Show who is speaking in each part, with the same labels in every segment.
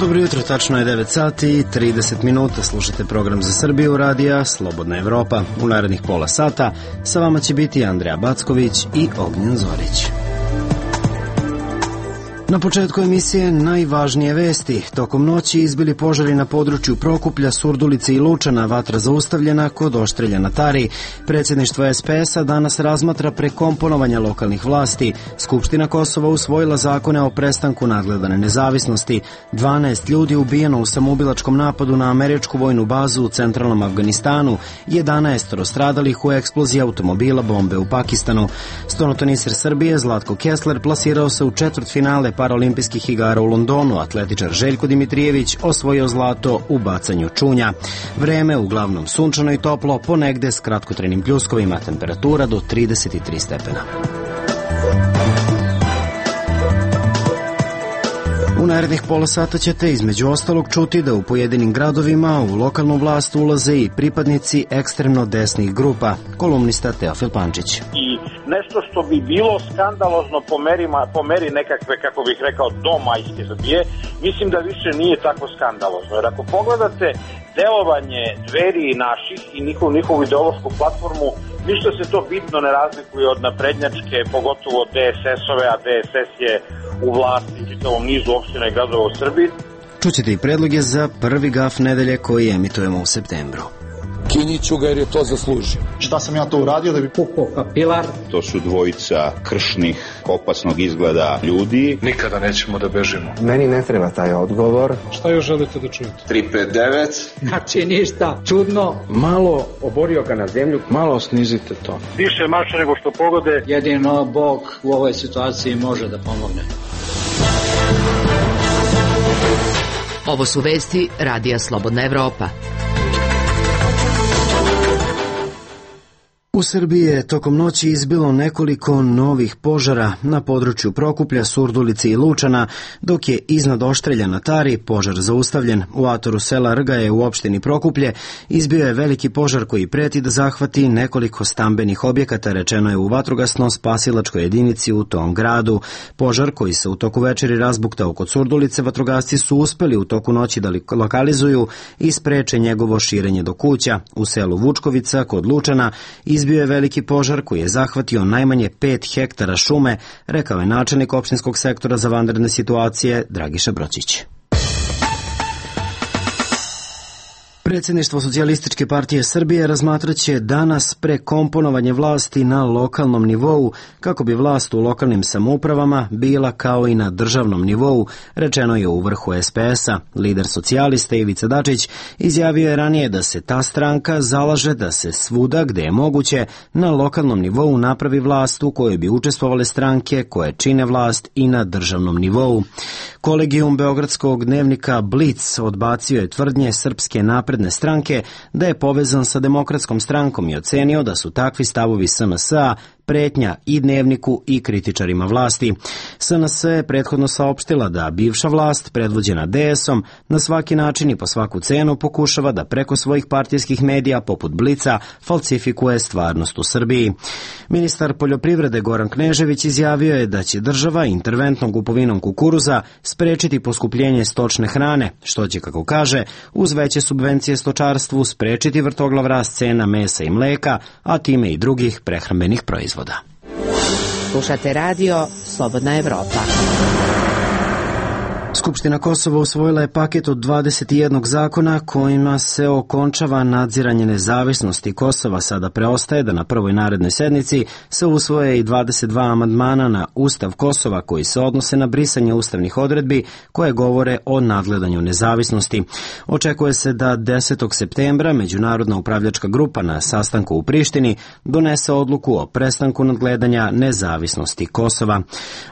Speaker 1: Dobro jutro, tačno je 9 sati i 30 minuta. Slušate program za Srbiju radija Slobodna Evropa. U narednih pola sata sa vama će biti Andreja Backović i Ognjen Zorić. Na početku emisije najvažnije vesti. Tokom noći izbili požari na području Prokuplja, Surdulice i Lučana, vatra zaustavljena kod Oštrelja na Tari. Predsjedništvo SPS-a danas razmatra prekomponovanja lokalnih vlasti. Skupština Kosova usvojila zakone o prestanku nadgledane nezavisnosti. 12 ljudi ubijeno u samoubilačkom napadu na američku vojnu bazu u centralnom Afganistanu. 11 stradalih u eksploziji automobila bombe u Pakistanu. Stonotoniser Srbije Zlatko Kessler plasirao se u četvrtfinale Paraolimpijskih igara u Londonu. Atletičar Željko Dimitrijević osvojio zlato u bacanju čunja. Vreme uglavnom sunčano i toplo, ponegde s kratkotrenim pljuskovima, temperatura do 33 stepena. U narednih pola sata ćete između ostalog čuti da u pojedinim gradovima u lokalnu vlast ulaze i pripadnici ekstremno desnih grupa. Kolumnista Teofil Pančić.
Speaker 2: I nešto što bi bilo skandalozno po meri nekakve, kako bih rekao, domajske Srbije, mislim da više nije tako skandalozno. Jer ako pogledate delovanje Dveri i naših i njihovu ideološku platformu, ništa se to bitno ne razlikuje od naprednjačke, pogotovo DSS-ove, a DSS je u vlasti čitavom nizu opština i gradova u Srbiji.
Speaker 1: Čućete i predloge za prvi gaf nedelje koji emitujemo u septembru.
Speaker 3: Kiniću ga jer je to zaslužio.
Speaker 4: Šta sam ja to uradio da bi pukao kapilar?
Speaker 5: To su dvojica kršnih, opasnog izgleda ljudi.
Speaker 3: Nikada nećemo da bežimo.
Speaker 6: Meni ne treba taj odgovor.
Speaker 3: Šta još želite da čujete?
Speaker 7: 359.
Speaker 6: Znači ništa, čudno.
Speaker 8: Malo oborio ga na zemlju, malo snizite to.
Speaker 2: Više mače nego što pogode.
Speaker 9: Jedino Bog u ovoj situaciji može da pomogne.
Speaker 10: Ovo su vesti Radija Slobodna Evropa.
Speaker 1: U Srbiji je tokom noći izbilo nekoliko novih požara na području Prokuplja, Surdulice i Lučana, dok je iznad Oštrelja na Tari požar zaustavljen. U atoru sela Rgaje u opštini Prokuplje izbio je veliki požar koji preti da zahvati nekoliko stambenih objekata, rečeno je u vatrogasno-spasilačkoj jedinici u tom gradu. Požar koji se u toku večeri razbuktao kod Surdulice, vatrogasci su uspeli u toku noći da lokalizuju i spreče njegovo širenje do kuća. U selu Vučkovica kod Lučana izbio je veliki požar koji je zahvatio najmanje 5 hektara šume, rekao je načelnik opštinskog sektora za vanredne situacije Dragiša Bročić. Predsjedništvo Socijalističke partije Srbije razmatraće danas prekomponovanje vlasti na lokalnom nivou kako bi vlast u lokalnim samoupravama bila kao i na državnom nivou, rečeno je u vrhu SPS-a. Lider socijalista Ivica Dačić izjavio je ranije da se ta stranka zalaže da se svuda gde je moguće na lokalnom nivou napravi vlast u kojoj bi učestvovale stranke koje čine vlast i na državnom nivou. Kolegijum beogradskog dnevnika Blic odbacio je tvrdnje Srpske napredne stranke da je povezan sa Demokratskom strankom i ocenio da su takvi stavovi SNS-a pretnja i dnevniku i kritičarima vlasti. SNS je prethodno saopštila da bivša vlast, predvođena DS-om, na svaki način i po svaku cenu pokušava da preko svojih partijskih medija poput Blica falsifikuje stvarnost u Srbiji. Ministar poljoprivrede Goran Knežević izjavio je da će država interventnom kupovinom kukuruza sprečiti poskupljenje stočne hrane, što će, kako kaže, uz veće subvencije stočarstvu sprečiti vrtoglav rast cena mesa i mleka, a time i drugih prehrambenih proizvoda.
Speaker 10: Slušate radio Slobodna Evropa.
Speaker 1: Skupština Kosova usvojila je paket od 21 zakona kojima se okončava nadziranje nezavisnosti Kosova. Sada preostaje da na prvoj narednoj sednici se usvoje i 22 amandmana na Ustav Kosova koji se odnose na brisanje ustavnih odredbi koje govore o nadgledanju nezavisnosti. Očekuje se da 10. septembra Međunarodna upravljačka grupa na sastanku u Prištini donese odluku o prestanku nadgledanja nezavisnosti Kosova.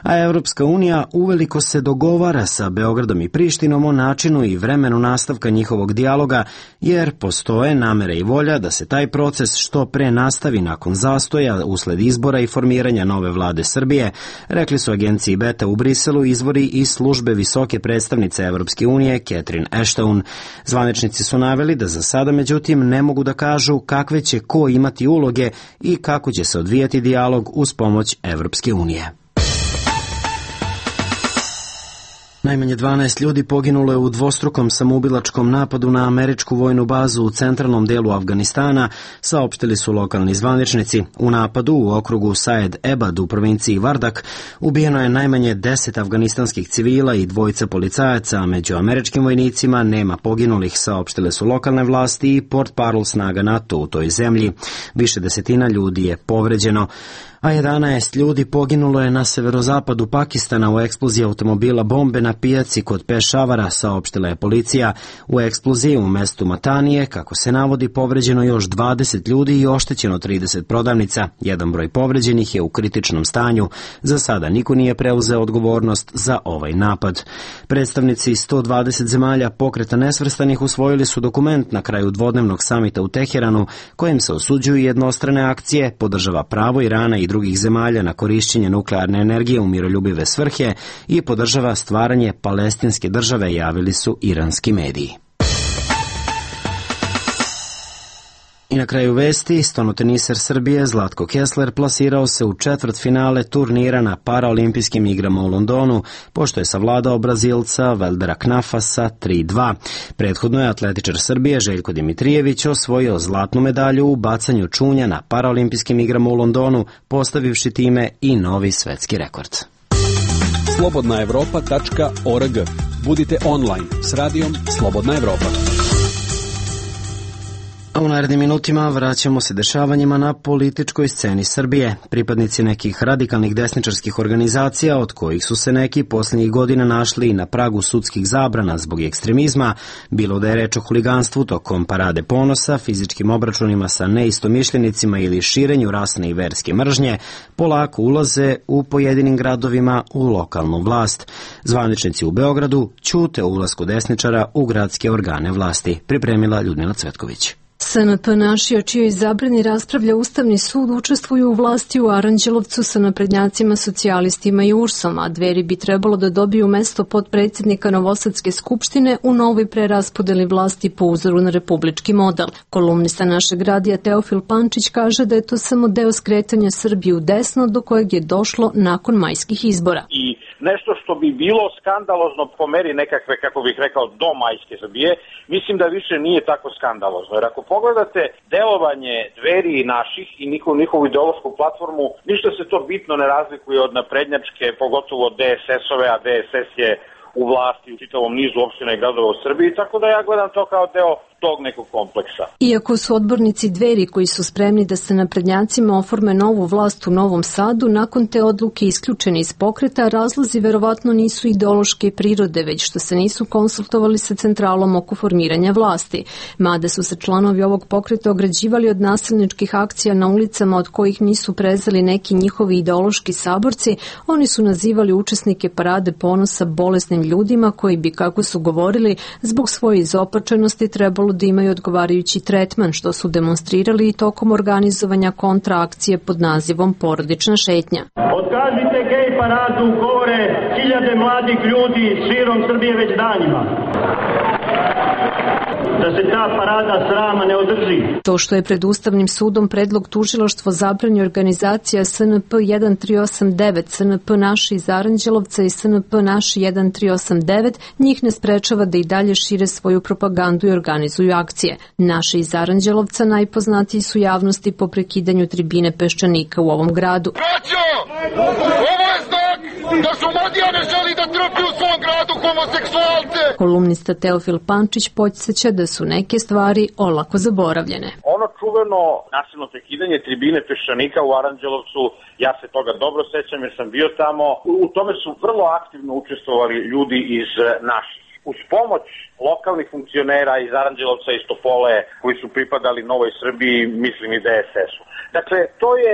Speaker 1: A Evropska unija uveliko se dogovara sa Beogradom i Prištinom o načinu i vremenu nastavka njihovog dijaloga, jer postoje namere i volja da se taj proces što pre nastavi nakon zastoja usled izbora i formiranja nove vlade Srbije, rekli su agenciji Beta u Briselu izvori iz službe visoke predstavnice Evropske unije Catherine Ashton. Zvaničnici su naveli da za sada međutim ne mogu da kažu kakve će ko imati uloge i kako će se odvijati dijalog uz pomoć Evropske unije. Najmanje 12 ljudi poginulo je u dvostrukom samoubilačkom napadu na američku vojnu bazu u centralnom delu Afganistana, saopštili su lokalni zvaničnici. U napadu u okrugu Saed Ebad u provinciji Vardak ubijeno je najmanje 10 afganistanskih civila i 2 policajaca, a među američkim vojnicima nema poginulih, saopštile su lokalne vlasti i portparol snaga NATO u toj zemlji. Više desetina ljudi je povređeno, a 11 ljudi poginulo je na severozapadu Pakistana u eksploziji automobila bombe na pijaci kod Pešavara, saopštila je policija. U eksploziji u mestu Matanije, kako se navodi, povređeno još 20 ljudi i oštećeno 30 prodavnica. Jedan broj povređenih je u kritičnom stanju. Za sada niko nije preuzeo odgovornost za ovaj napad. Predstavnici 120 zemalja Pokreta nesvrstanih usvojili su dokument na kraju dvodnevnog samita u Teheranu, kojim se osuđuju jednostrane akcije, podržava pravo Irana i drugih zemalja na korišćenje nuklearne energije u miroljubive svrhe i podržava stvaranje palestinske države, javili su iranski mediji. I na kraju vesti, stonoteniser Srbije Zlatko Kessler plasirao se u četvrtfinale turnira na paraolimpijskim igrama u Londonu, pošto je savladao Brazilca Veldera Knafasa 3-2. Prethodno je atletičar Srbije Željko Dimitrijević osvojio zlatnu medalju u bacanju čunja na paraolimpijskim igrama u Londonu, postavivši time i novi svetski rekord.
Speaker 7: slobodnaevropa.org. Budite online s radijom Slobodna Evropa.
Speaker 1: A u narednim minutima vraćamo se dešavanjima na političkoj sceni Srbije. Pripadnici nekih radikalnih desničarskih organizacija, od kojih su se neki posljednjih godina našli na pragu sudskih zabrana zbog ekstremizma, bilo da je reč o huliganstvu tokom parade ponosa, fizičkim obračunima sa neistomišljenicima ili širenju rasne i verske mržnje, polako ulaze u pojedinim gradovima u lokalnu vlast. Zvaničnici u Beogradu ćute o ulasku desničara u gradske organe vlasti, pripremila Ljudmila Cvetković.
Speaker 11: SNP Naši, o čijoj zabrani raspravlja Ustavni sud, učestvuju u vlasti u Aranđelovcu sa naprednjacima, socijalistima i URS-om, a Dveri bi trebalo da dobiju mesto potpredsjednika Novosadske skupštine u novoj preraspodeli vlasti po uzoru na republički model. Kolumnista našeg radija Teofil Pančić kaže da je to samo deo skretanja Srbije u desno do kojeg je došlo nakon majskih izbora.
Speaker 2: I nešto što bi bilo skandalozno po meri nekakve, kako bih rekao, do majske Srbije, mislim da više nije tako skandalozno. Jer ako pogledate delovanje Dveri i Naših i njihovu ideološku platformu, ništa se to bitno ne razlikuje od naprednjačke, pogotovo od DSS-ove, a DSS je u vlasti u čitavom nizu opština i gradova u Srbiji, tako da ja gledam to kao deo tog nekog kompleksa.
Speaker 11: Iako su odbornici Dveri koji su spremni da se naprednjacima oforme novu vlast u Novom Sadu, nakon te odluke isključeni iz pokreta, razlozi verovatno nisu ideološke prirode, već što se nisu konsultovali sa centralom oko formiranja vlasti. Mada su se članovi ovog pokreta ograđivali od nasilničkih akcija na ulicama od kojih nisu prezeli neki njihovi ideološki saborci, oni su nazivali učesnike parade ponosa bolesnim ljudima koji bi, kako su govorili, zbog svoje izopačenosti trebalo da imaju odgovarajući tretman, što su demonstrirali i tokom organizovanja kontraakcije pod nazivom Porodična šetnja.
Speaker 12: Otkažite gej paradu, govore hiljade mladih ljudi širom Srbije već danima. Da se ta parada srama ne održi.
Speaker 11: To što je pred Ustavnim sudom predlog tužilaštvo zabrani organizacija SNP 1389, SNP Naši iz Aranđelovca i SNP Naši 1389, njih ne sprečava da i dalje šire svoju propagandu i organizuju akcije. Naši iz Aranđelovca najpoznatiji su javnosti po prekidanju tribine Peščanika u ovom gradu.
Speaker 13: Braćo, ovo je znak da su Madijane želi da trpi u svom gradu homoseksualce.
Speaker 11: Kolumnista Teofil Pančić podsjeća da su neke stvari olako zaboravljene.
Speaker 2: Ono čuveno nasilno prekidanje tribine Peščanika u Aranđelovcu, ja se toga dobro sećam jer sam bio tamo, u tome su vrlo aktivno učestvovali ljudi iz Naših. Uz pomoć lokalnih funkcionera iz Aranđelovca i Topole koji su pripadali Novoj Srbiji, mislim i DSS-u. Dakle, to je,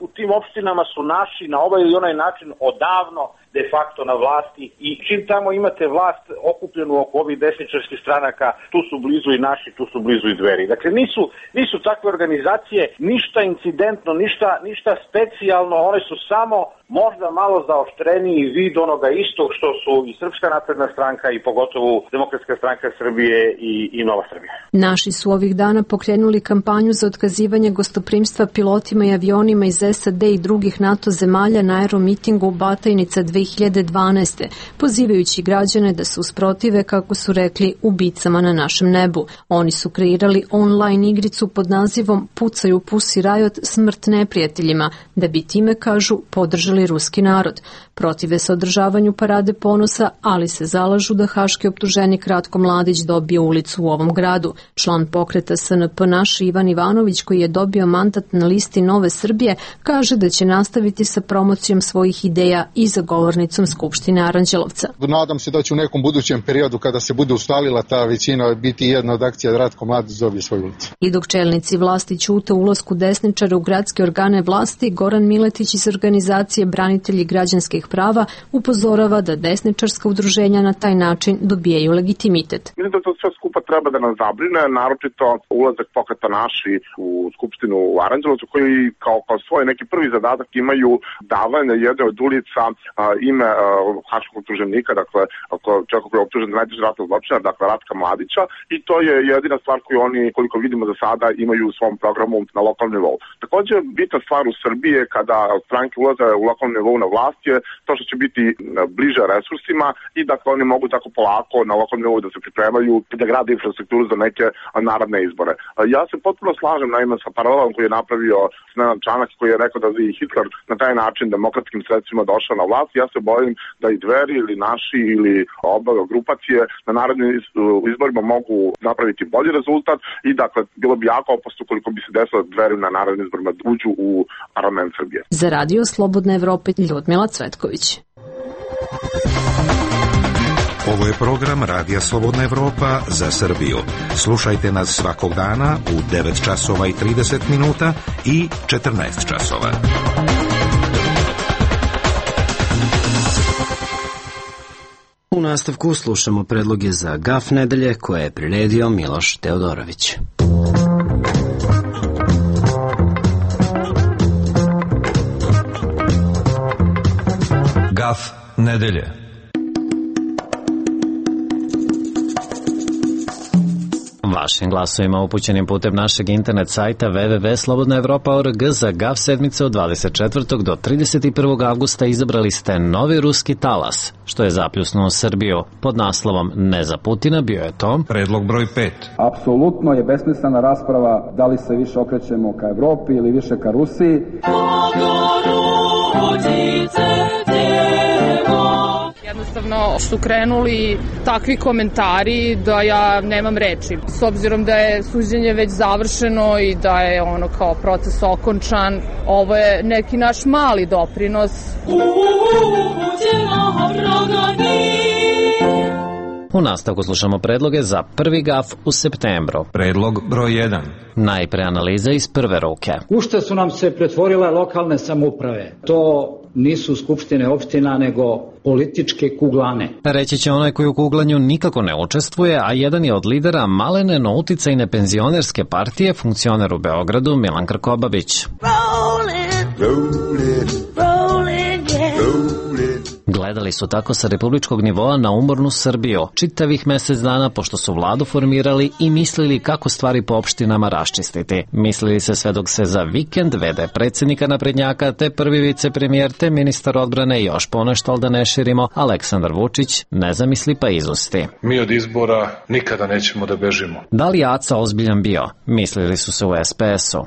Speaker 2: u tim opštinama su Naši na ovaj ili onaj način odavno de facto na vlasti i čim tamo imate vlast okupljenu oko ovih desničarskih stranaka, tu su blizu i Naši, tu su blizu i Dveri. Dakle, nisu takve organizacije ništa incidentno, ništa specijalno, one su samo možda malo zaoštreniji vid onoga istog što su i Srpska napredna stranka i pogotovo Demokratska stranka Srbije i Nova Srbija.
Speaker 11: Naši su ovih dana pokrenuli kampanju za otkazivanje gostoprimstva pilotima i avionima iz SAD i drugih NATO zemalja na aeromitingu u Batajnica 2012. pozivajući građane da se usprotive, kako su rekli, ubicama na našem nebu. Oni su kreirali online igricu pod nazivom Pucaju Pussy Riot, smrt neprijateljima, da bi time, kažu, podržali ruski narod. Protive se održavanju parade ponosa, ali se zalažu da haški optuženik Ratko Mladić dobije ulicu u ovom gradu. Član pokreta SNP naš Ivan Ivanović, koji je dobio mandat na listi Nove Srbije, kaže da će nastaviti sa promocijom svojih ideja i za govornicom Skupštine Aranđelovca.
Speaker 14: Nadam se da će u nekom budućem periodu, kada se bude ustalila ta većina, biti jedna od akcija da Ratko Mladić dobije svoju ulicu.
Speaker 11: I dok čelnici vlasti ćute ulasku desničara u gradske organe vlasti, Goran Miletić iz organizacije Branitelji građanskih prava upozorava da desničarska udruženja na taj način dobijaju legitimitet.
Speaker 15: Mislim da to sve skupa treba da nas zabrine, naročito ulazak pokreta naši u Skupštinu u Aranđelovcu, koji kao svoj neki prvi zadatak imaju davanje jedne od ulica ime haškog optuženika, dakle čovjeka koji je optužen za najteži ratni zločin, dakle Ratka Mladića, i to je jedina stvar koju oni, koliko vidimo za sada, imaju u svom programu na lokalnom nivou. Također, bitna stvar u Srbiji kada stranke ulaze u lokalnom nivou na vlast je to što će biti bliže resursima i dakle oni mogu tako polako na lokalnom nivou da se pripremaju da grade infrastrukturu za neke narodne izbore. Ja se potpuno slažem naime sa paralelom koji je napravio Nenad Čanak, koji je rekao da je Hitler na taj način demokratskim sredstvima došao na vlast. Ja se bojim da i Dveri ili naši ili oba grupacije na narodnim izborima mogu napraviti bolji rezultat i dakle bilo bi jako opasno koliko bi se desilo da Dveri na narodnim izborima uđu u parlament Srbije.
Speaker 11: Za Radio Slobodna Evropa, Ljudmila Cvetković.
Speaker 16: Ovo je program Radija Slobodna Evropa za Srbiju. Slušajte nas svakog dana u 9 časova i 30 minuta i 14 časova.
Speaker 1: U nastavku slušamo predloge za GAF nedelje koje je priredio Miloš Teodorović.
Speaker 17: GAF nedelje.
Speaker 18: Vašim glasovima upućenim putem našeg internet sajta www.slobodnaevropa.org za GAF sedmice od 24. do 31. avgusta izabrali ste novi ruski talas, što je zapljusnuo Srbiju. Pod naslovom Ne za Putina bio je to
Speaker 17: predlog broj 5.
Speaker 19: Apsolutno je besmislena rasprava da li se više okrećemo ka Evropi ili više ka Rusiji.
Speaker 20: Jednostavno su krenuli takvi komentari da ja nemam reči. S obzirom da je suđenje već završeno i da je ono kao proces okončan, ovo je neki naš mali doprinos.
Speaker 18: U nastavku slušamo predloge za prvi GAF u septembru.
Speaker 17: Predlog broj 1.
Speaker 18: Najpre analiza iz prve ruke.
Speaker 9: U šta su nam se pretvorile lokalne samouprave? To nisu skupštine opština, nego političke kuglane.
Speaker 18: Reći će onaj koji u kuglanju nikako ne učestvuje, a jedan je od lidera malene, no uticajne penzionerske partije, funkcioner u Beogradu, Milan Krkobabić. Gledali su tako sa republičkog nivoa na umornu Srbiju čitavih mesec dana, pošto su vladu formirali i mislili kako stvari po opštinama raščistiti. Mislili se sve dok se za vikend vede predsjednika naprednjaka, te prvi vicepremijer, te ministar odbrane i još ponešto, ali da ne širimo, Aleksandar Vučić ne zamisli pa izusti.
Speaker 3: Mi od izbora nikada nećemo da bežimo.
Speaker 18: Da li je Aca ozbiljan bio? Mislili su se u SPS-u.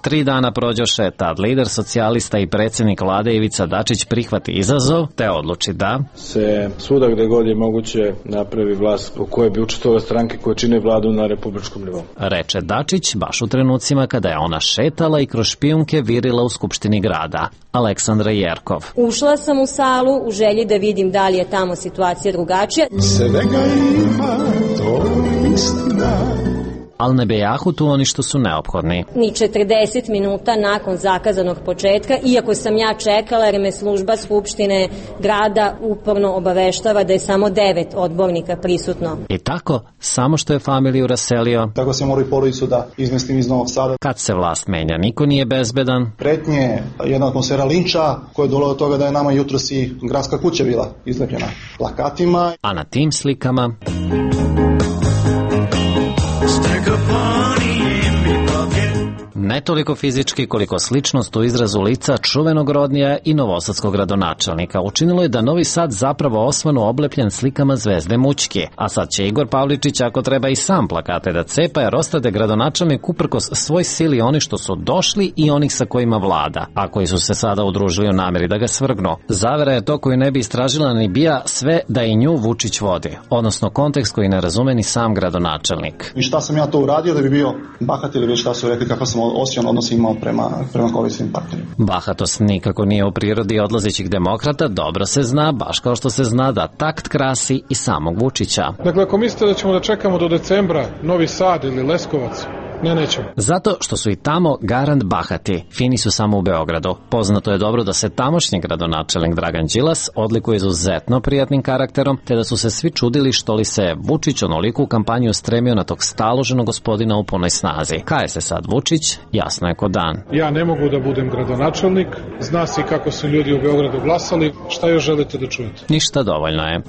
Speaker 18: 3 dana prođoše, tad lider socijalista i predsjednik vlade Ivica Dačić prihvati izazov, te odluči da
Speaker 8: se svuda gde god je moguće napravi vlast u kojoj bi učestvovale stranke koje čine vladu na republičkom nivou.
Speaker 18: Reče Dačić baš u trenucima kada je ona šetala i kroz špijunke virila u Skupštini grada. Aleksandra Jerkov.
Speaker 21: Ušla sam u salu u želji da vidim da li je tamo situacija drugačija.
Speaker 22: Svega ima, to istina.
Speaker 18: ali ne bejahu tu oni što su neophodni.
Speaker 21: Ni 40 minuta nakon zakazanog početka, iako sam ja čekala jer me služba Skupštine grada uporno obaveštava da je samo 9 odbornika prisutno.
Speaker 18: I tako, samo što je familiju raselio,
Speaker 4: tako se mora i porodicu da izmestim iz Novog Sada.
Speaker 18: Kad se vlast menja, niko nije bezbedan.
Speaker 4: Pretnje, jedna atmosfera linča koja je dovela do toga da je nama jutros i gradska kuća bila izlepljena plakatima.
Speaker 18: A na tim slikama ne toliko fizički koliko sličnost u izrazu lica čuvenog Rodnija i novosadskog gradonačelnika učinilo je da Novi Sad zapravo osvanu oblepljen slikama Zvezde Mućke. A sad će Igor Pavličić, ako treba, i sam plakate da cepa, jer ostade gradonačelnik uprkos svoj sili oni što su došli i onih sa kojima vlada, a koji su se sada udružili u nameri da ga svrgnu. Zavera je to koju ne bi istražila ni bija sve da i nju Vučić vodi, odnosno kontekst koji ne razume ni sam gradonačelnik.
Speaker 4: I šta sam ja to uradio da bi bio bahat ili već šta su rekli kako sam osjećan odnos imao prema koalicijskim partnerima.
Speaker 18: Bahatost nikako nije u prirodi odlazećih demokrata, dobro se zna, baš kao što se zna da takt krasi i samog Vučića.
Speaker 3: Dakle, ako mislite da ćemo da čekamo do decembra Novi Sad ili Leskovac, nećemo.
Speaker 18: Zato što su i tamo garant bahati, fini su samo u Beogradu. Poznato je dobro da se tamošnji gradonačelnik Dragan Đilas odlikuje izuzetno prijatnim karakterom, te da su se svi čudili što li se Vučić onoliko u kampanju stremio na tog staloženog gospodina u punoj snazi. Kaje se sad Vučić, jasno je ko dan.
Speaker 3: Ja ne mogu da budem gradonačelnik, zna se kako su ljudi u Beogradu glasali, šta još želite da čujete?
Speaker 18: Ništa, dovoljno je.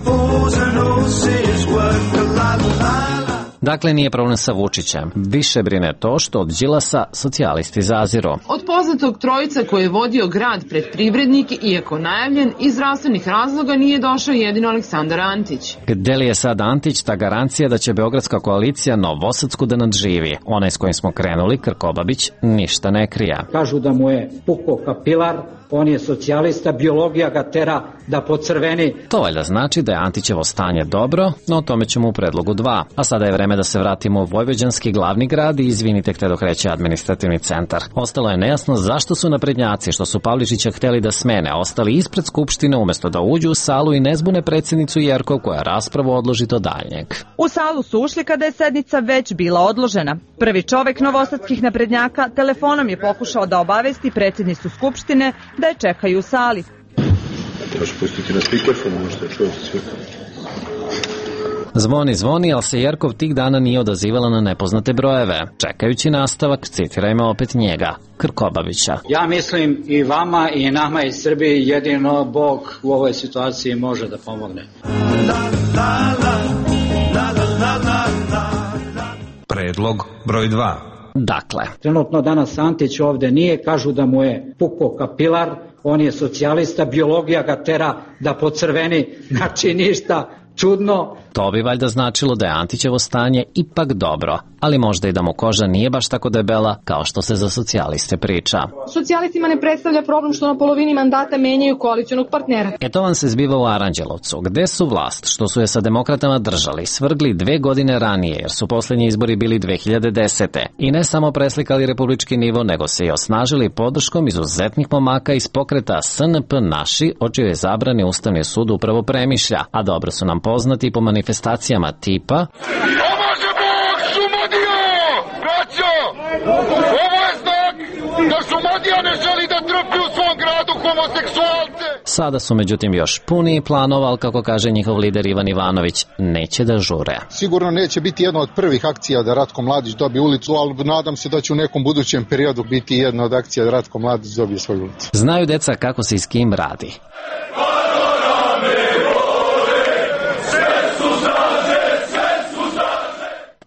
Speaker 18: Dakle, nije problem sa Vučićem. Više brine to što od Đilasa socijalisti zaziru.
Speaker 22: Od poznatog trojica koji je vodio grad pred privrednike, iako najavljen, iz zdravstvenih razloga nije došao jedino Aleksandar Antić.
Speaker 18: Gde li je sad Antić ta garancija da će beogradska koalicija Novosadsku da nadživi? Onaj s kojim smo krenuli, Krkobabić, ništa ne krija.
Speaker 9: Kažu da mu je puko kapilar, on je socijalista, biologija ga tera da pocrveni.
Speaker 18: To valjda znači da je Antićevo stanje dobro, no o tome ćemo u predlogu 2. A sada je vreme da se vratimo u vojvođanski glavni grad i izvinite gde dok kreće administrativni centar. Ostalo je nejasno zašto su naprednjaci što su Pavličića hteli da smene ostali ispred Skupštine umesto da uđu u salu i ne zbune predsjednicu Jerkov koja raspravu odloži do daljnjeg.
Speaker 23: U salu su ušli kada je sednica već bila odložena. Prvi čovek novosadskih naprednjaka telefonom je pokušao da obavesti predsjednicu Skupštine da je čekaju u sali.
Speaker 8: Trebaš pustiti na speakerfon, možete čujete sve.
Speaker 18: Zvoni, ali se Jerkov tih dana nije odazivala na nepoznate brojeve. Čekajući nastavak, citirajmo opet njega, Krkobabića.
Speaker 9: Ja mislim i vama i nama iz Srbije jedino Bog u ovoj situaciji može da pomogne.
Speaker 17: Predlog broj 2.
Speaker 18: Dakle,
Speaker 9: trenutno danas Antić ovde nije, kažu da mu je puko kapilar, on je socijalista, biologija ga tera da pocrveni, znači ništa čudno.
Speaker 18: To bi valjda značilo da je Antićevo stanje ipak dobro, ali možda i da mu koža nije baš tako debela kao što se za socijaliste priča.
Speaker 24: Socijalistima ne predstavlja problem što na polovini mandata menjaju koalicionog partnera.
Speaker 18: To vam se zbiva u Aranđelovcu, gde su vlast, što su je sa demokratama držali, svrgli 2 godine ranije, jer su poslednji izbori bili 2010. I ne samo preslikali republički nivo, nego se i osnažili podrškom izuzetnih momaka iz pokreta SNP Naši, o čijoj zabrani Ustavni sud upravo premišlja, a dobro su nam poznati po manifestacijama tipa
Speaker 13: Pomaže Bog, Šumadija! Braćo! Ovo je znak da Šumadija ne želi da trpi u svom gradu homoseksualce!
Speaker 18: Sada su međutim još puniji planova, ali kako kaže njihov lider Ivan Ivanović, neće da žure.
Speaker 14: Sigurno neće biti jedna od prvih akcija da Ratko Mladić dobije ulicu, ali nadam se da će u nekom budućem periodu biti jedna od akcija da Ratko Mladić dobije svoju ulicu.
Speaker 18: Znaju deca kako se i s kim radi.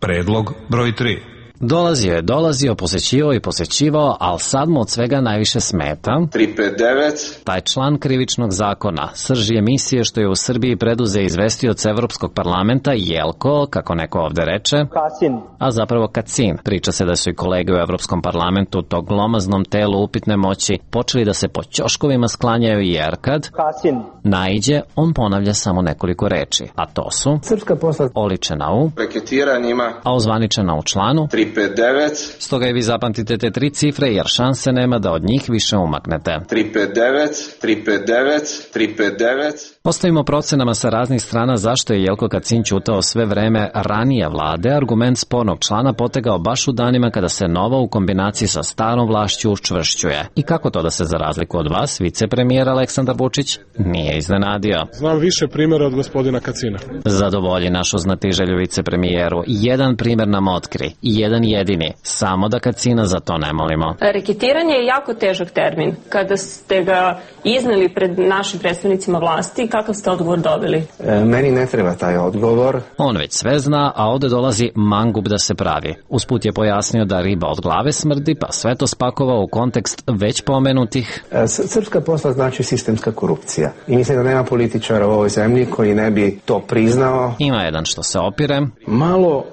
Speaker 17: Predlog broj 3.
Speaker 18: Dolazio, posećivao, ali sad mu od svega najviše smeta
Speaker 25: 359.
Speaker 18: taj član krivičnog zakona, srž emisije što je u Srbiji preduze izvestioc Evropskog parlamenta Jelko, kako neko ovde reče,
Speaker 6: Kasin.
Speaker 18: A zapravo Kacin. Priča se da su i kolege u Evropskom parlamentu tog glomaznom telu upitne moći počeli da se po ćoškovima sklanjaju, jer kad
Speaker 6: Kasin
Speaker 18: naiđe, on ponavlja samo nekoliko reči, a to su
Speaker 6: srpska posla
Speaker 18: oličena u
Speaker 25: reketiranjima,
Speaker 18: a ozvaničena u članu
Speaker 25: 359.
Speaker 5: 359.
Speaker 18: Stoga i vi zapamtite te 3 cifre jer šanse nema da od njih više umaknete.
Speaker 5: 359, 359, 359.
Speaker 18: Postavimo procenama sa raznih strana zašto je Jelko Kacin ćutao sve vreme ranije vlade, argument spornog člana potegao baš u danima kada se nova u kombinaciji sa starom vlašću učvršćuje. I kako to da se za razliku od vas, vicepremijer Aleksandar Vučić nije iznenadio?
Speaker 3: Znam više primjera od gospodina Kacina.
Speaker 18: Zadovolji našu znatiželju vicepremijeru. Jedan primjer nam otkri. Jedan jedini. Samo da Kacina za to ne molimo.
Speaker 7: Reketiranje je jako težak termin. Kada ste ga izneli pred našim predstavnicima vlasti, kakav ste odgovor dobili?
Speaker 6: Meni ne treba taj odgovor.
Speaker 18: On već sve zna, a ovde dolazi mangup da se pravi. Usput je pojasnio da riba od glave smrdi, pa sve to spakovao u kontekst već pomenutih.
Speaker 6: Srpska posla znači sistemska korupcija. I mislim da nema političara u ovoj zemlji koji ne bi to priznao.
Speaker 18: Ima jedan što se opire.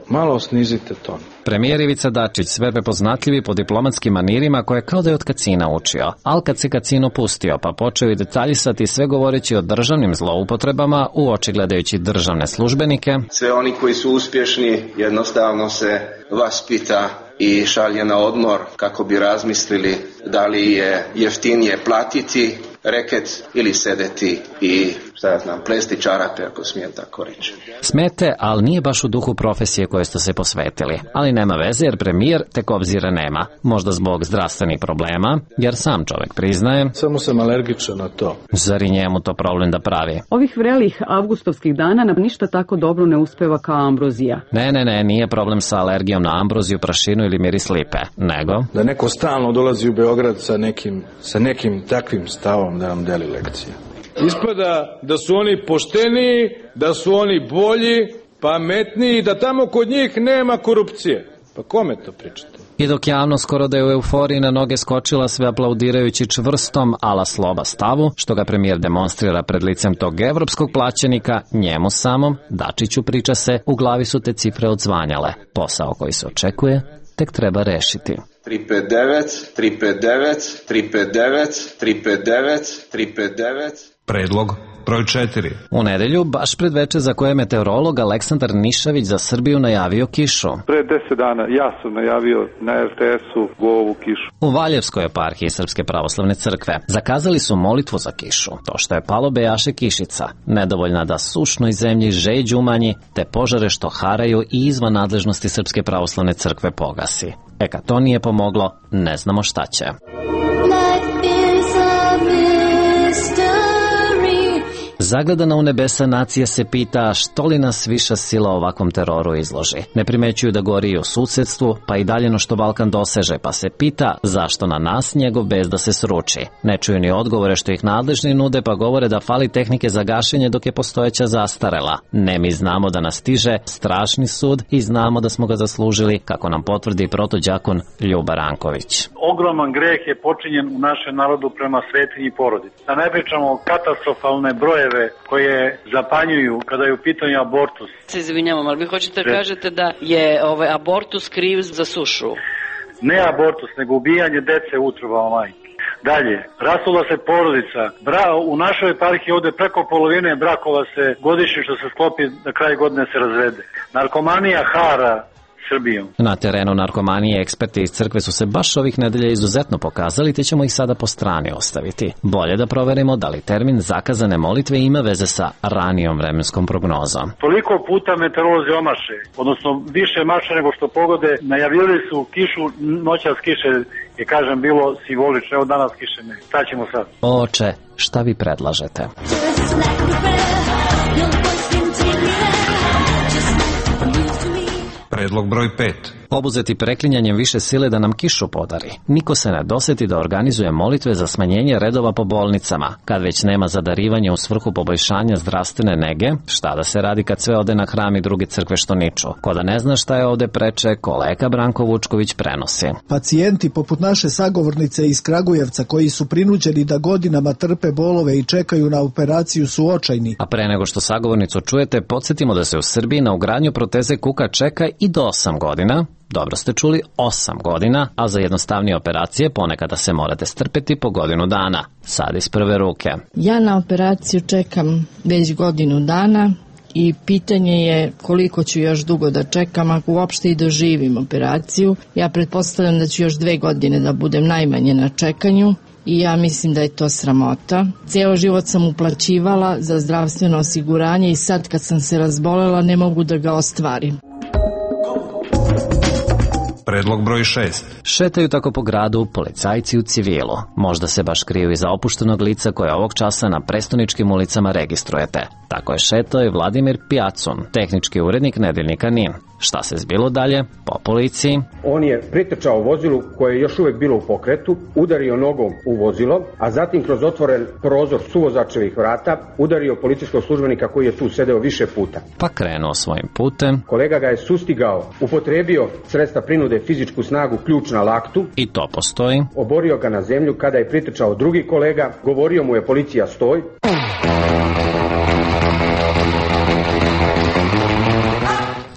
Speaker 8: Malo snizite ton.
Speaker 18: Premijer Ivica Dačić sve prepoznatljivi po diplomatskim manirima koje kao da je od Kacina učio. Al kad se Kacin opustio pa počeo i detaljisati sve govoreći o državnim zloupotrebama u oči gledajući državne službenike.
Speaker 5: Sve oni koji su uspješni jednostavno se vaspita i šalje na odmor kako bi razmislili da li je jeftinije platiti reket ili sedeti i plesti čarape, ako smijem tako reći.
Speaker 18: Smete, ali nije baš u duhu profesije koje ste se posvetili. Ali nema veze jer premijer tek obzira nema. Možda zbog zdravstvenih problema, jer sam čovjek priznaje.
Speaker 8: Samo sam alergičan na to.
Speaker 18: Zar i njemu to problem da pravi?
Speaker 10: Ovih vrelih avgustovskih dana nam ništa tako dobro ne uspeva kao ambrozija.
Speaker 18: Ne, nije problem sa alergijom na ambroziju, prašinu ili miris lipe, nego...
Speaker 8: Da neko stalno dolazi u Beograd sa nekim takvim stavom da nam deli lekcije. Ispada da su oni pošteniji, da su oni bolji, pametniji, da tamo kod njih nema korupcije. Pa kome to pričate?
Speaker 18: I dok javno skoro da je u euforiji na noge skočila sve aplaudirajući čvrstom ala sloba stavu, što ga premijer demonstrira pred licem tog evropskog plaćenika, njemu samom, Dačiću priča se, u glavi su te cifre odzvanjale. Posao koji se očekuje tek treba rešiti.
Speaker 5: 359, 359, 359, 359, 359.
Speaker 17: Predlog broj 4.
Speaker 18: U nedelju, baš pred veče za koje je meteorolog Aleksandar Nišavić za Srbiju najavio kišu.
Speaker 12: Pre 10 dana ja sam najavio na RTS-u ovu kišu.
Speaker 18: U Valjevskoj eparhiji Srpske pravoslavne crkve zakazali su molitvu za kišu. To što je palo bejaše kišica, nedovoljna da sušnoj zemlji žeđ umanji, te požare što haraju i izvan nadležnosti Srpske pravoslavne crkve pogasi. Kad to nije pomoglo, ne znamo šta će. Zagledana u nebesa nacija se pita što li nas viša sila ovakvom teroru izloži. Ne primećuju da gori i u susedstvu, pa i daljeno što Balkan doseže, pa se pita zašto na nas njegov bezda se sruči. Ne čuju ni odgovore što ih nadležni nude, pa govore da fali tehnike za gašenje dok je postojeća zastarela. Ne, mi znamo da nas stiže strašni sud i znamo da smo ga zaslužili, kako nam potvrdi protođakon Ljuba Ranković.
Speaker 25: Ogroman greh je počinjen u našem narodu prema svetinji porodici. Da ne pričamo katastrofalne brojeve koje zapanjuju kada je u pitanju abortus.
Speaker 26: Se izvinjavam, ali vi hoćete da kažete da je abortus kriv za sušu?
Speaker 25: Ne abortus, nego ubijanje dece u utrobama majke. Dalje, rasula se porodica. U našoj eparhiji ovde preko polovine brakova se godišnje što se sklopi na kraj godine se razvede. Narkomanija hara Srbijom.
Speaker 18: Na terenu narkomanije eksperti iz crkve su se baš ovih nedelja izuzetno pokazali, te ćemo ih sada po strani ostaviti. Bolje da proverimo da li termin zakazane molitve ima veze sa ranijom vremenskom prognozom.
Speaker 25: Toliko puta meteorolozi omaše, odnosno više maše nego što pogode, najavljivali su kišu, noćas kiše je, kažem, bilo simbolično, evo danas kiše ne. Šta ćemo sad?
Speaker 18: Oče, šta vi predlažete?
Speaker 17: Predlog broj 5.
Speaker 18: Obuzeti preklinjanjem više sile da nam kišu podari. Niko se ne doseti da organizuje molitve za smanjenje redova po bolnicama. Kad već nema zadarivanja u svrhu poboljšanja zdravstvene nege, šta da se radi kad sve ode na hram i druge crkve što niču? Ko da ne zna šta je ovde preče, kolega Branko Vučković prenosi.
Speaker 27: Pacijenti poput naše sagovornice iz Kragujevca koji su prinuđeni da godinama trpe bolove i čekaju na operaciju su očajni.
Speaker 18: A pre nego što sagovornicu čujete, podsjetimo da se u Srbiji na ugradnju proteze kuka čeka i do 8 godina. Dobro ste čuli, 8 godina, a za jednostavnije operacije ponekada se morate strpeti po godinu dana. Sad iz prve ruke.
Speaker 28: Ja na operaciju čekam već godinu dana
Speaker 1: i pitanje je koliko ću još dugo da čekam ako uopšte i doživim operaciju. Ja pretpostavljam da ću još 2 godine da budem najmanje na čekanju i ja mislim da je to sramota. Cijelo život sam uplaćivala za zdravstveno osiguranje i sad kad sam se razbolela ne mogu da ga ostvarim.
Speaker 17: Predlog broj 6.
Speaker 18: Šetaju tako po gradu policajci u civilu. Možda se baš kriju iza opuštenog lica koje ovog časa na prestoničkim ulicama registrujete. Tako je šetao i Vladimir Pijacun, tehnički urednik nedeljnika NIN. Šta se zbilo dalje? Po policiji.
Speaker 2: On je pritrčao vozilu koje je još uvek bilo u pokretu, udario nogom u vozilo, a zatim kroz otvoren prozor suvozačevih vrata udario policijskog službenika koji je tu sedeo više puta.
Speaker 18: Pa krenuo svojim putem.
Speaker 2: Kolega ga je sustigao, upotrebio sredstva prinude, fizičku snagu, ključ na laktu.
Speaker 18: I to postoji.
Speaker 2: Oborio ga na zemlju kada je pritrčao drugi kolega, govorio mu je policija stoj.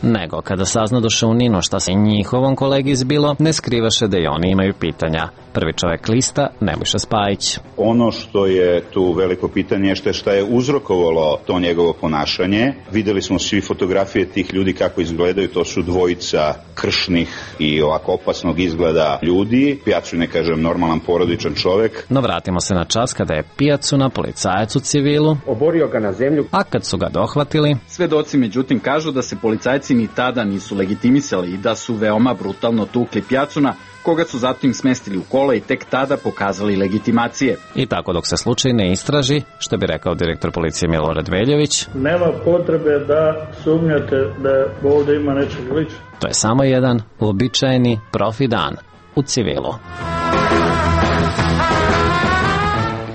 Speaker 18: Nego kada saznadoše u NIN-u šta se njihovom kolegi zbilo, ne skrivaše da i oni imaju pitanja. Prvi čovek lista, Nebojša Spajić.
Speaker 11: Ono što je tu veliko pitanje je šta je uzrokovalo to njegovo ponašanje. Videli smo svi fotografije tih ljudi kako izgledaju, to su dvojica kršnih i ovako opasnog izgleda ljudi. Pijacun je, kažem, normalan porodičan čovek.
Speaker 18: No vratimo se na čas kada je Pijacuna policajac u civilu
Speaker 2: oborio ga na zemlju,
Speaker 18: a kad su ga dohvatili,
Speaker 15: svedoci međutim kažu da se policajci ni tada nisu legitimisali i da su veoma brutalno tukli Pijacuna, koga su zatim smestili u kola i tek tada pokazali legitimacije.
Speaker 18: I tako dok se slučaj ne istraži, što bi rekao direktor policije Milorad Veljović,
Speaker 16: nema potrebe da sumnjate da ovde ima nečeg ličnog.
Speaker 18: To je samo jedan uobičajeni profi dan u civilu.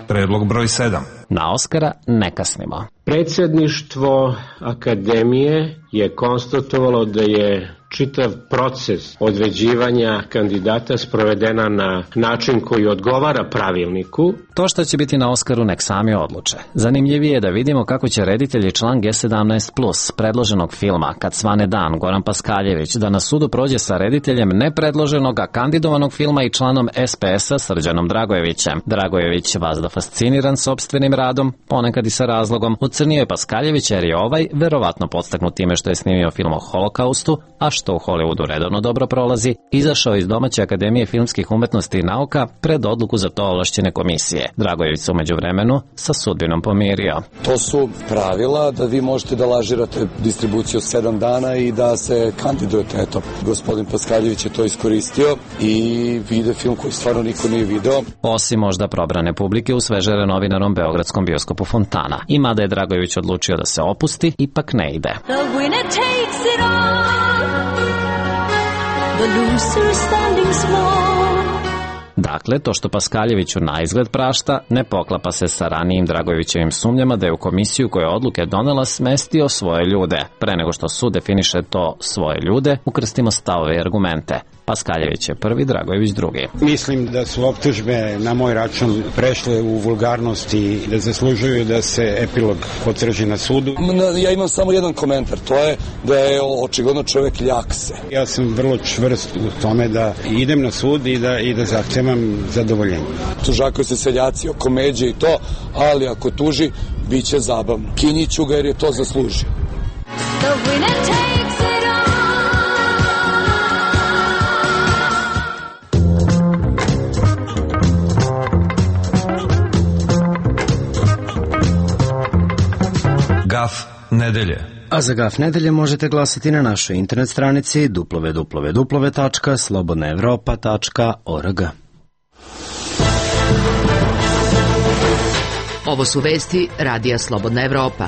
Speaker 17: Predlog broj 7.
Speaker 18: Na Oskara ne kasnimo.
Speaker 19: Predsjedništvo Akademije je konstatovalo da je čitav proces određivanja kandidata sprovedena na način koji odgovara pravilniku.
Speaker 18: To što će biti na Oskaru nek sami odluče. Zanimljivije je da vidimo kako će reditelj i član G17+, predloženog filma Kad svane dan, Goran Paskaljević, da na sudu prođe sa rediteljem nepredloženog, a kandidovanog filma i članom SPS-a Srđanom Dragojevićem. Dragojević, vazda fasciniran sopstvenim radom, ponekad i sa razlogom, ocrnio je Paskaljevića jer je ovaj verovatno podstaknut time što je snimio film o Holokaustu, a što u Hollywoodu redovno dobro prolazi, izašao iz domaće Akademije filmskih umetnosti i nauka pred odluku za to ovlašćene komisije. Dragojević se umeđu vremenu sa sudbinom pomirio.
Speaker 20: To su pravila da vi možete da lažirate distribuciju 7 dana i da se kandidujete. Eto, gospodin Paskaljević je to iskoristio i vide film koji stvarno niko nije video.
Speaker 18: Osim možda probrane publike u sveže renovinanom beogradskom bioskopu Fontana. I mada je Dragojević odlučio da se opusti, ipak ne ide. Dakle, to što Paskaljeviću na izgled prašta ne poklapa se sa ranijim Dragojevićevim sumnjama da je u komisiju koja je odluke donela smestio svoje ljude. Pre nego što sud definiše to svoje ljude, ukrstimo stavove i argumente. Paskaljević je prvi, Dragojević drugi.
Speaker 28: Mislim da su optužbe na moj račun prešle u vulgarnost i da zaslužuju da se epilog potvrđi na sudu.
Speaker 20: Ja imam samo jedan komentar, to je da je očigledno čovjek ljakse.
Speaker 28: Ja sam vrlo čvrst u tome da idem na sud i da zahtevam zadovoljenje.
Speaker 20: Tužakaju se seljaci oko međe i to, ali ako tuži, bit će zabavno. Kinjiću ga jer je to zaslužio.
Speaker 17: Gaf nedelje.
Speaker 29: A za Gaf nedelje možete glasati na našoj internet stranici www.slobodnaevropa.org.
Speaker 30: Ovo su vesti Radija Slobodna Evropa.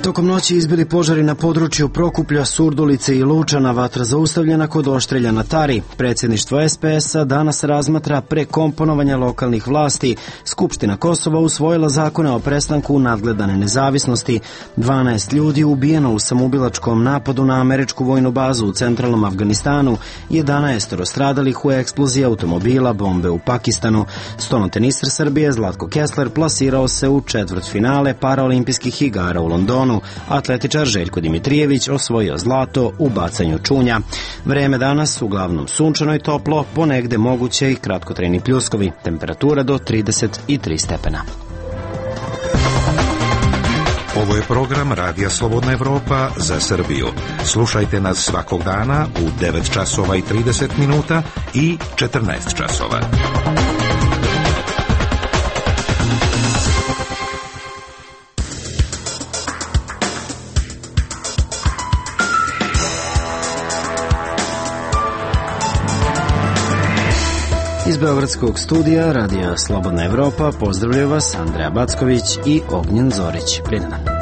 Speaker 27: Tokom noći izbili požari na području Prokuplja, Surdulice i Lučana, vatra zaustavljena kod Oštrelja na Tari. Predsjedništvo SPS-a danas razmatra prekomponovanja lokalnih vlasti. Skupština Kosova usvojila zakone o prestanku nadgledane nezavisnosti. 12 ljudi ubijeno u samoubilačkom napadu na američku vojnu bazu u centralnom Afganistanu, 11 stradalih u eksploziji automobila, bombe u Pakistanu. Stolnoteniser Srbije Zlatko Kessler plasirao se u četvrtfinale paraolimpijskih igara u Londonu. Londonu, atletičar Željko Dimitrijević osvojio zlato u bacanju čunja. Vreme danas uglavnom sunčano i toplo, ponegde moguće i kratkotrajni pljuskovi, temperatura do 33 stepena.
Speaker 3: Ovo je program Radija Slobodna Evropa za Srbiju. Slušajte nas svakog dana u 9 časova i 30 minuta i 14 časova.
Speaker 27: Iz beogradskog studija Radija Slobodna Evropa pozdravljaju vas Andreja Backović i Ognjen Zorić. Prijatno.